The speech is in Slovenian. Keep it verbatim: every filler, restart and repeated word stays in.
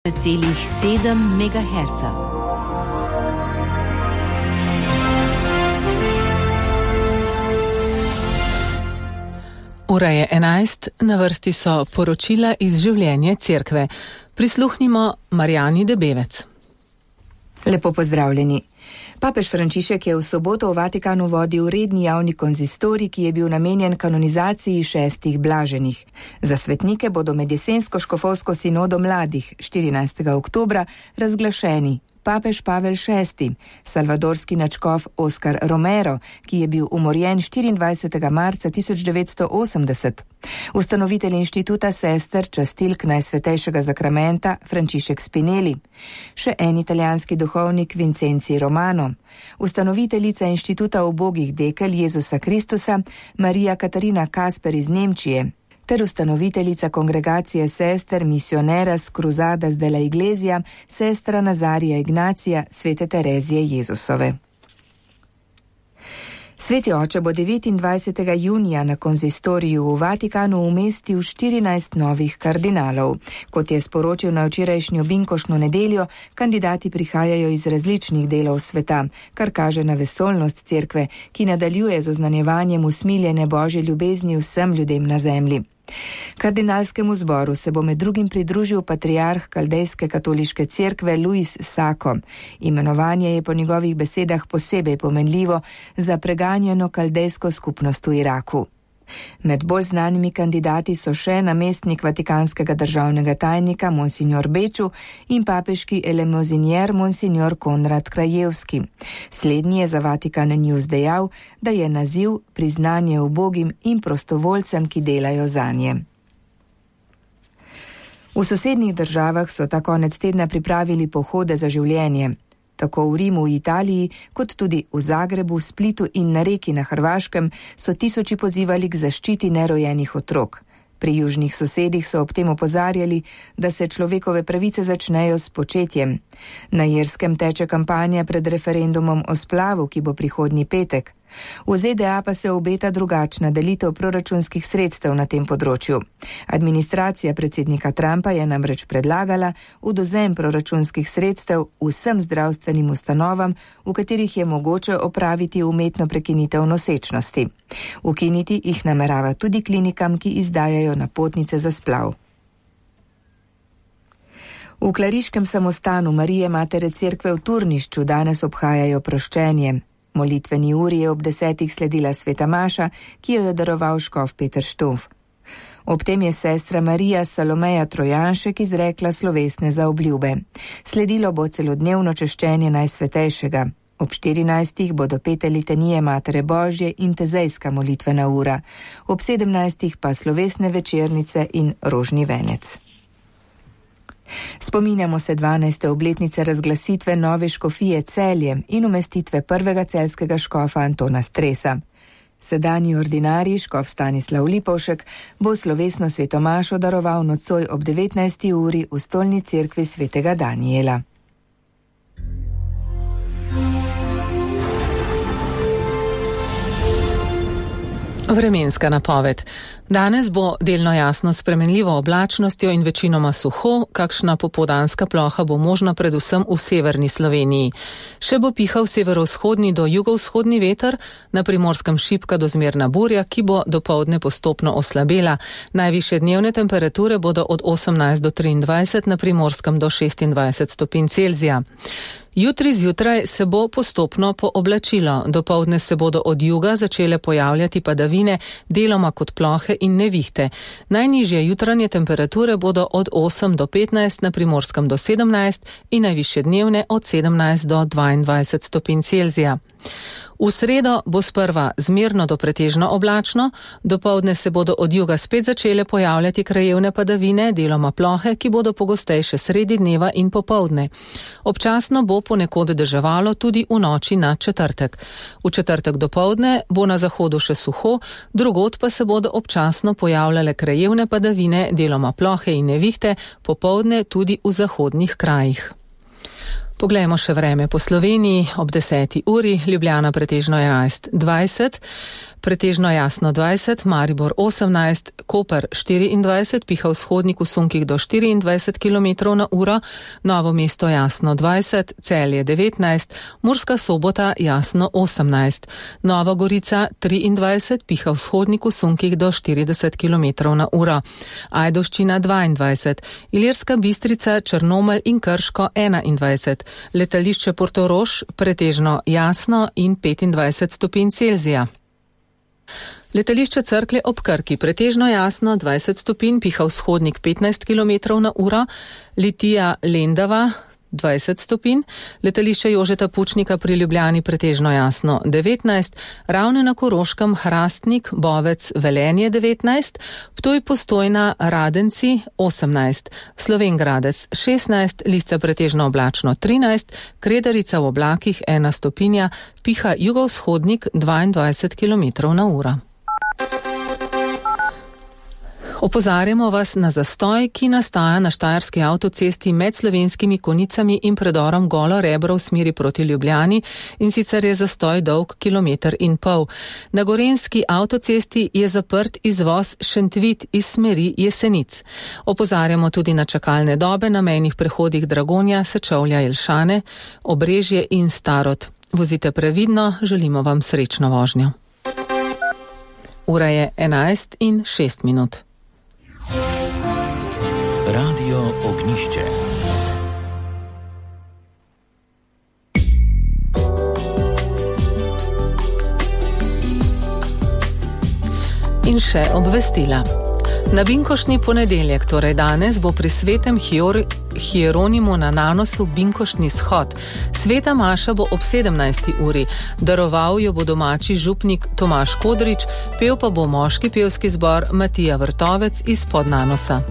celih sedem megaherca. Ura je enajst, na vrsti so poročila iz življenja cerkve. Prisluhnimo Marjani Debevec. Lepo pozdravljeni. Papež Frančišek je v soboto v Vatikanu vodil redni javni konzistorij, ki je bil namenjen kanonizaciji šestih blaženih. Za svetnike bodo med jesensko škofovsko sinodo mladih štirinajstega oktobra razglašeni papež Pavel šesti, salvadorski nadškof Oskar Romero, ki je bil umorjen štiriindvajsetega marca tisoč devetsto osemdeset, ustanovitelj inštituta sester častilk Najsvetejšega zakramenta Frančišek Spinelli, še en italijanski duhovnik Vincenzi Romano, ustanoviteljica inštituta ubogih dekel Jezusa Kristusa Marija Katarina Kasper iz Nemčije, ter ustanoviteljica kongregacije sester Misioneras Cruzadas de la Iglesia, sestra Nazarija Ignacija Svete Terezije Jezusove. Sveti oče bo devetindvajsetega junija na konzistoriju v Vatikanu umestil štirinajst novih kardinalov. Kot je sporočil na včerajšnjo binkošno nedeljo, kandidati prihajajo iz različnih delov sveta, kar kaže na vesoljnost cerkve, ki nadaljuje z oznanjevanjem usmiljene Božje ljubezni vsem ljudem na zemlji. Kardinalskemu zboru se bo med drugim pridružil patriarh Kaldejske katoliške cerkve Luis Sako. Imenovanje je po njegovih besedah posebej pomenljivo za preganjeno kaldejsko skupnost v Iraku. Med bolj znanimi kandidati so še namestnik vatikanskega državnega tajnika Monsignor Beču in papeški elemozinier Monsignor Konrad Krajevski. Slednji je za Vatikan News dejal, da je naziv priznanje ubogim in prostovoljcem, ki delajo zanje. V sosednjih državah so ta konec tedna pripravili pohode za življenje. Tako v Rimu v Italiji, kot tudi v Zagrebu, Splitu in na Reki na Hrvaškem so tisoči pozivali k zaščiti nerojenih otrok. Pri južnih sosedih so ob tem opozarjali, da se človekove pravice začnejo s početjem. Na Irskem teče kampanja pred referendumom o splavu, ki bo prihodnji petek. V Z D A pa se obeta drugačna delitev proračunskih sredstev na tem področju. Administracija predsednika Trumpa je namreč predlagala odvzem proračunskih sredstev vsem zdravstvenim ustanovam, v katerih je mogoče opraviti umetno prekinitev nosečnosti. Ukiniti jih namerava tudi klinikam, ki izdajajo napotnice za splav. V klariškem samostanu Marije Matere Cerkve v Turnišču danes obhajajo proščenje. Molitveni uri je ob desetih sledila sveta maša, ki jo je daroval škof Peter Štof. Ob tem je sestra Marija Salomeja Trojanšek izrekla slovesne zaobljube. Sledilo bo celodnevno češčenje Najsvetejšega. Ob štirinajstih bodo pete litanije Matere Božje in tezejska molitvena ura. Ob sedemnajstih pa slovesne večernice in rožni venec. Spominjamo se dvanajste obletnice razglasitve nove škofije Celje in umestitve prvega celjskega škofa Antona Stresa. Sedanji ordinarij škof Stanislav Lipovšek bo slovesno svetomašo daroval nocoj ob devetnajsti uri v stolni cerkvi svetega Danijela. Vremenska napoved. Danes bo delno jasno s spremenljivo oblačnostjo in večinoma suho, kakšna popoldanska ploha bo možna predvsem v severni Sloveniji. Še bo pihal severovzhodni do jugovzhodni veter, na Primorskem šibka do zmerna burja, ki bo dopoldne postopno oslabela. Najvišje dnevne temperature bodo od osemnajst do triindvajset, na Primorskem do šestindvajset stopinj Celzija. Jutri zjutraj se bo postopno pooblačilo, dopoldne se bodo od juga začele pojavljati padavine, deloma kot plohe in nevihte. Najnižje jutranje temperature bodo od osem do petnajst, na Primorskem do sedemnajst in najvišje dnevne od sedemnajst do dvaindvajset stopinj Celzija. V sredo bo sprva zmerno do pretežno oblačno, dopoldne se bodo od juga spet začele pojavljati krajevne padavine, deloma plohe, ki bodo pogostejše sredi dneva in popoldne. Občasno bo ponekod deževalo tudi v noči na četrtek. V četrtek dopoldne bo na zahodu še suho, drugod pa se bodo občasno pojavljale krajevne padavine, deloma plohe in nevihte, popoldne tudi v zahodnih krajih. Poglejmo še vreme po Sloveniji. Ob deseti uri, Ljubljana pretežno enajst dvajset, pretežno jasno dvajset, Maribor osemnajst, Koper štiriindvajset, piha vzhodnik v sunkih do štiriindvajset kilometrov na uro, Novo mesto jasno dvajset, Celje devetnajst, Murska Sobota jasno osemnajst, Nova Gorica triindvajset, piha vzhodnik v sunkih do štirideset kilometrov na uro, Ajdovščina dvaindvajset, Ilirska Bistrica, Črnomelj in Krško enaindvajset, letališče Portorož pretežno jasno in petindvajset stopinj Celzija. Letališče Cerklje ob Krki pretežno jasno dvajset stopinj, piha vzhodnik petnajst kilometrov na uro, Litija Lendava dvajset stopinj, letališče Jožeta Pučnika pri Ljubljani pretežno jasno devetnajst, Ravne na Koroškem, Hrastnik, Bovec, Velenje devetnajst, Ptuj, Postojna, Radenci osemnajst, Slovenj Gradec šestnajst, Lisca pretežno oblačno trinajst, Kredarica v oblakih ena stopinja, piha jugovzhodnik dvaindvajset kilometrov na uro. Opozarjamo vas na zastoj, ki nastaja na štajerski avtocesti med Slovenskimi Konicami in predorom Golo Rebro v smeri proti Ljubljani, in sicer je zastoj dolg kilometer in pol. Na gorenjski avtocesti je zaprt izvoz Šentvit iz smeri Jesenic. Opozarjamo tudi na čakalne dobe na mejnih prehodih Dragonja, Sečovlja, Jelšane, Obrežje in Starod. Vozite previdno, želimo vam srečno vožnjo. Ura je enajst in šest minut. Radio Ognišče. In še obvestila. Na binkoštni ponedeljek, torej danes, bo pri svetem Hier- Hieronimu na Nanosu binkoštni shod. Sveta maša bo ob sedemnajsti uri. Daroval jo bo domači župnik Tomaž Kodrič, pel pa bo moški pevski zbor Matija Vrtovec iz Podnanosa.